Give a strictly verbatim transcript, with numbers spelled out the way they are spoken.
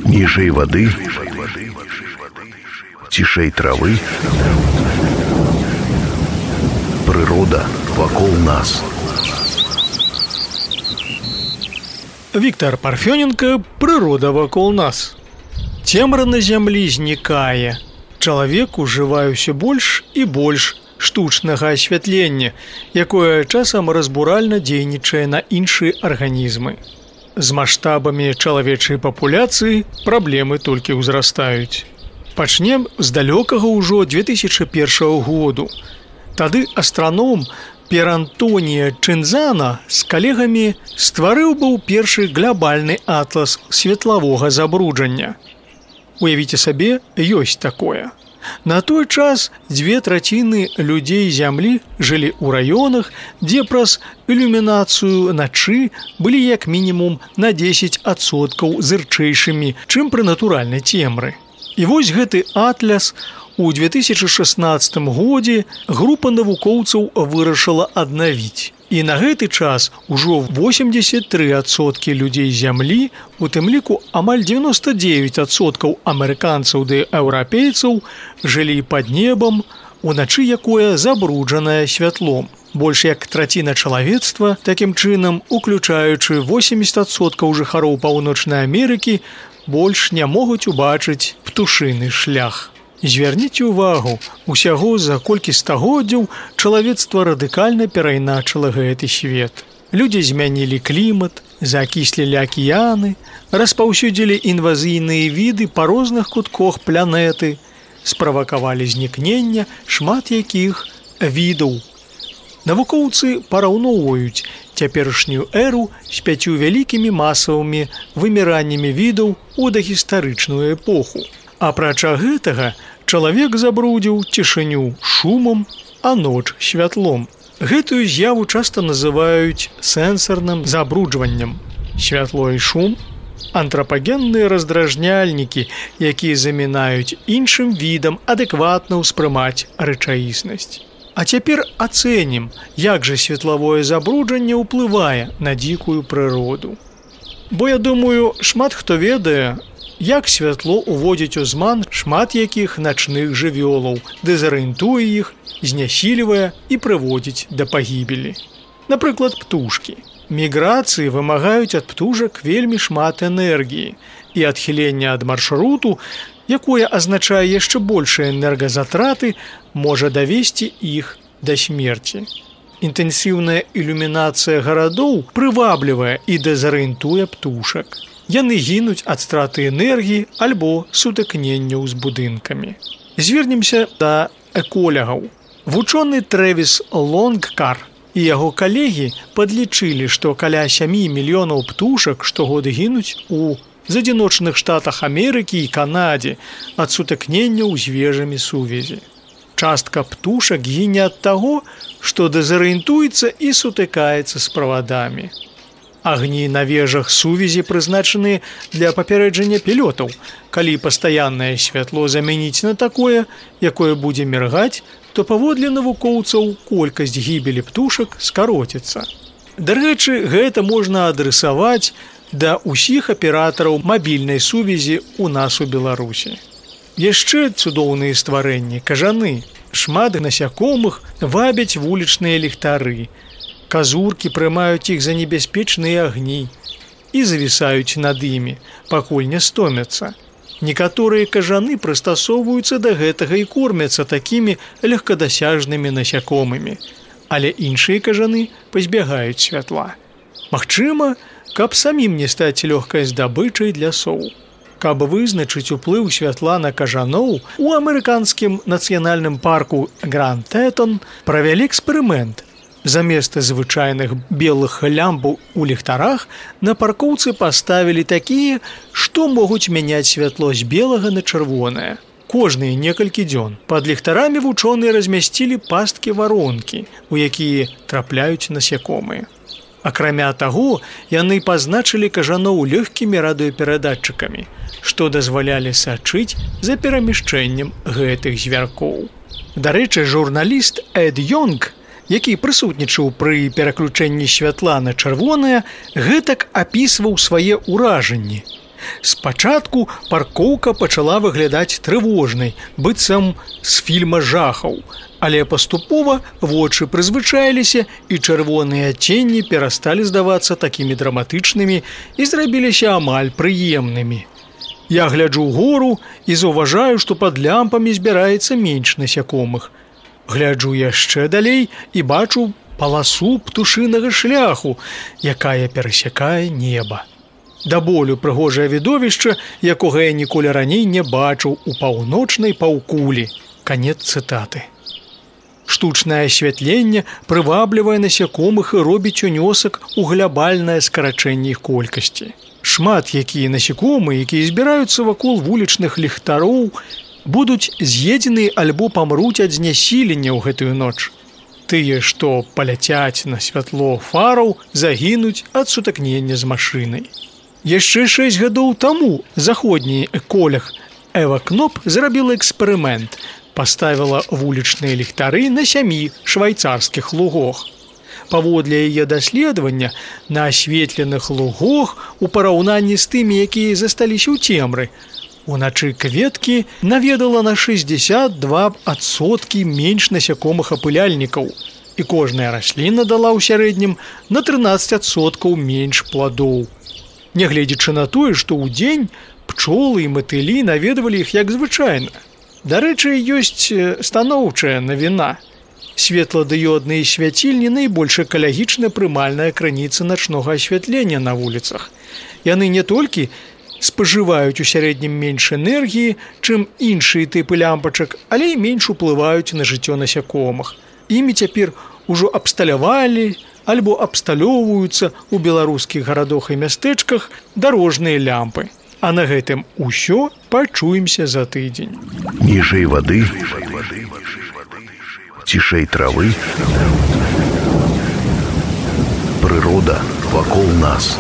Ніжэй вады, цішэй травы, прырода вакол нас. Віктор Парфёненко «Прырода вакол нас». Цемра на зямлі знікае. Чалавек ужывае ўсё больш і больш штучнага асвятлення, якое часам разбуральна дзейнічае на іншыя арганізмы. З маштабамі чалавечай папуляцыі праблемы толькі ўзрастаюць. Пачнем з далёкага ўжо две тысячы першага году. Тады астраном Пер-Антонія Чинзана з калегамі стварыў быў першы глобальны атлас светлавога забруджання. Уявіце сабе, ёсць такое. На той час дзве траціны людзей зямлі жылі ў раёнах, дзе праз ілюмінацыю начы былі як мінімум на дзесяць адсоткаў зырчэйшымі, чым пры натуральнай цемры. І вось гэты атлас у две тысячы шаснаццатым годзе група навукоўцаў вырашыла аднавіць. І на гэты час ужо восемьдесят три адсоткі людзей зямлі, у тым ліку амаль девяносто девять адсоткаў амерыканцаў ды еўрапейцаў жылі пад небам, уначы якое забруджанае святлом. Больш як траціна чалавецтва, такім чынам, уключаючы восемьдесят адсоткаў жыхароў Паўночнай Амерыкі, больш не могуць убачыць птушыны шлях. Звярніце ўвагу, усяго за колькі стагоддзяў чалавецтва радыкальна перайначыла гэты свет. Людзі змянілі клімат, закіслілі акіяны, распаўсюдзілі інвазійныя віды па розных кутках планеты, справакавалі знікнення шмат якіх відаў. Навукоўцы параўноўваюць цяперашнюю эру з пяццю вялікімі масавымі выміраннямі відаў у дагістарычную эпоху. Апрача гэтага, чалавек забрудзіў цішыню шумам, а ноч святлом. Гэтую з'яву часта называюць сэнсарным забруджваннем. Святло і шум – антрапагенныя раздражняльнікі, якія замінаюць іншым відам адэкватна ўспрымаць рэчаіснасць. А цяпер ацэнім, як жа светлавое забруджанне ўплывае на дзікую прыроду. Бо, я думаю, шмат хто ведае, як святло уводзіць у зман шмат якіх начных жывёлаў, дэзарыентуе іх, знясільвае і прыводзіць да пагібелі. Напрыклад, птушкі. Міграцыі вымагаюць ад птушак вельмі шмат энергіі, і адхіленне ад маршруту, якое азначае яшчэ большыя энергазатраты, можа давесці іх да смерці. Інтэнсіўная ілюмінацыя гарадоў прываблівае і дэзарыентуе птушак. Яны гінуць ад страты энергіі альбо сутыкненняў з будынкамі. Звернемся да эколягаў. Вучоны Трэвіс Лонгкар і яго калегі падлічылі, што каля сямі мільёнаў птушак штогод гінуць у адзіночных штатах Амерыкі і Канадзе ад сутыкненняў з вежамі сувязі. Частка птушак гіне ад таго, што дэзарыентуецца і сутыкаецца з правадамі. Агні на вежах сувязі прызначаны для папярэджання пілётаў. Калі пастаяннае святло замяніць на такое, якое будзе міргаць, то паводле навукоўцаў колькасць гібелі птушак скароціцца. Дарэчы, гэта можна адресаваць да ўсіх аператараў мабільнай сувязі ў нас у Беларусі. Яшчэ цудоўныя стварэнні, кажаны, шмат насякомых вабяць вулічныя ліхтары. Казуркі прымаюць іх за небяспечныя агні і завісаюць над імі, пакуль не стомяцца. Некаторыя кажаны прыстасоўваюцца да гэтага і кормяцца такімі легкадасяжнымі насякомымі, але іншыя кажаны пазбягаюць святла. Магчыма, каб самім не стаць лёгкай здабычай для соў. Каб вызначыць уплыў святла на кажаноў, у амерыканскім нацыянальным парку Гранд Тэтон правялі эксперымент. Замест звычайных белых лямпаў у ліхтарах на паркоўцы паставілі такія, што могуць мяняць святло з белага на чырвонае. Кожныя некалькі дзён пад ліхтарамі вучоныя размясцілі пасткі-варонкі, у якія трапляюць насякомыя. Акрамя таго, яны пазначылі кажаноў лёгкімі радыёперадатчыкамі, што дазвалялі сачыць за перамяшчэннем гэтых звяркоў. Дарэчы, журналіст Эд Йонг, які прысутнічаў пры пераключэнні святла на чырвонае, гэтак апісваў свае ўражанні. Спачатку паркоўка пачала выглядаць трывожнай, быццам з фільма жахаў, але паступова вочы прызвычаіліся і чырвоныя адценні перасталі здавацца такімі драматычнымі і зрабіліся амаль прыемнымі. Я гляджу ўгору і заўважаю, што пад лямпамі збіраецца менш насякомых. Гляджу яшчэ далей і бачу паласу птушынага шляху, якая перасякае неба. Да болю прыгожае відовішча, якога я ніколі раней не бачыў у паўночнай паўкулі. Канец цытаты. Штучнае асвятленне прываблівае насякомых і робіць унёсак у глябальнае скарачэнне іх колькасці. Шмат якія насякомыя, якія збіраюцца вакол вулічных ліхтароў, будуць з'едзены альбо памруць ад знясілення ў гэтую ноч. Тыя, што паляцяць на святло фараў, загінуць ад сутыкнення з машынай. Яшчэ шэсць гадоў таму заходні эколог Эва Кноп зрабіла эксперымент, паставіла вулічныя ліхтары на сямі швайцарскіх лугах. Паводле яе даследавання, на асветленых лугах у параўнанні з тымі, якія засталіся ў цемры, уначы кветкі наведала на шэсцьдзесят два адсоткі менш насякомых апыляльнікаў, і кожная расліна дала ў сярэднім на трынаццаць адсоткаў менш пладоў. Нягледзячы на тое, што ўдзень пчолы і матылі наведвалі іх як звычайна. Дарэчы, ёсць станоўчая навіна. Светладыёдныя свяцільні найбольш экалагічна прымальная крыніца начнога асвятлення на вуліцах. Яны не толькі спажываюць у сярэднім менш энергіі, чым іншыя тыпы лямпачак, але і менш уплываюць на жыццё насякомых. Імі цяпер ужо абсталявалі альбо абсталёўваюцца ў беларускіх гарадах і мястэчках дарожныя лямпы. А на гэтым усё, пачуемся за тыдзень. Ніжэй вады, цішэй травы, прырода вакол нас.